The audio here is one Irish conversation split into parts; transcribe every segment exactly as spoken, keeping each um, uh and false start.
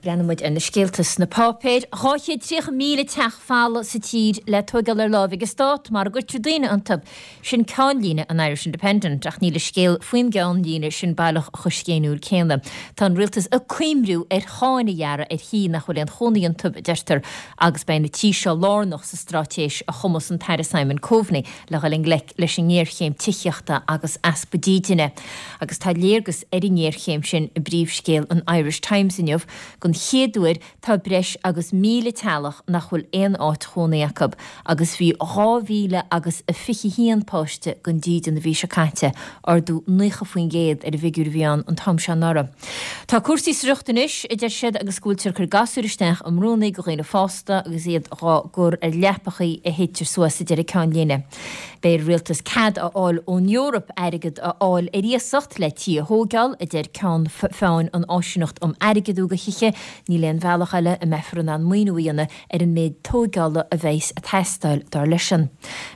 Breathnaíonn muid ar na scéalta sna páipéir. Dhá chéad tríocha míle teach folamh sa tír le tóigeáil ar láimh ag an stát mara gcuirtear daoine iontu. Sin ceannlíne an Irish Independent, ach níl an scéal faoin gceannlíne sin baileach chomh scéiniúil céanna. Tá an rialtas ag cuimriú ar cháin a ghearradh ar thithe nach bhfuil aon chónaí iontu, a deirtear, agus beidh na tithe seo lárnach sa straitéis a chumas an tAire Simon Coveney le dhul i ngleic leis an ngéarchéim tithíochta agus easpa dídine. Agus tá léargas ar an ngéarchéim sin i bpríomhscéal an Irish Times inniu, Don chéad uair tá breis agus míle teaghlach nach bhfuil aon áit chónaí acu agus bhí dhá mhíle agus a fiche haon páiste gan dídean an mhí seo caite, ardú naocha faoin gcéad ar an bhfigiúr a bhí ann an t-am seo anuraidh. Tá cúrsaí sa riocht anois, a deir siad, agus go bhfuiltear ag cur gasúir isteach i mbrúnna do dhaoine fásta agus iad dhá gcur ar leapachaí a shéidtear suas, a deir an ceannlíne. Beidh ar an rialtas cead a fháil ón Eoraip airgead a fháil ar iasacht le tithe a thóigeáil, a deir ceann feadhain an Áisíneacht um Airgeadú do Thithe. Níl aon bhealach eile a mbeifear in ann maoiniú a dhéanamh ar an méid tóigeála a bheas ag teastáil, dar leisean.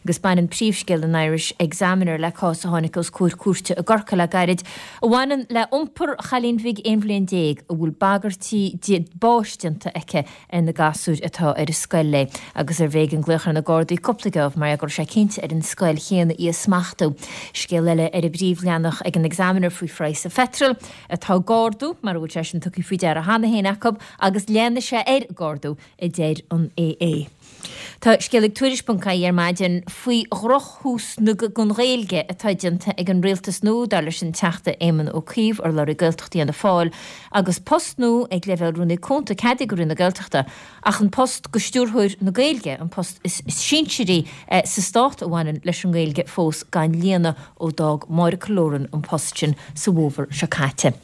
Agus baineann príomhscéal an Irish Examiner le cás a tháinig os comhair cúirte i gCorcaigh le gairid a bhaineann le iompar chailín bhig aon bhliain déag a bhfuil bagairtí báis déanta aici ar na gasúir atá ar an scoil léi agus arbh éigean glaoch ar na Gardaí cúpla geábh mar go raibh sé cinnte ar an scoil chéanna í a smachtú. Scéal eile ar an bpríomhleathanach ag an Examiner faoi phraghas an pheitril atá ag ardú, mar a bhfuil sé sin tugtha faoi deara cheana féin acu, agus leanfaidh sé air ag ardú, a deir an AA. Tá scéal ag Tuairisc ponc ie ar maidin faoi dhrochthús don Ghaeilge atá déanta ag an rialtas nua, dar leis an Teachta Éamon Ó Cuív, urlabhraí Gaeltachta Fhianna Fáil, agus post nua ag leibhéal Rúnaí Cúnta ceadaithe do Roinn na Gaeltachta, ach an post do Stiúrthóir na Gaeilge, an post is sinsearaí sa stát a bhaineann leis an nGaeilge, fós gan líonadh ó d'fhág Máire Killoran an post sin sa bhfómhar seo caite.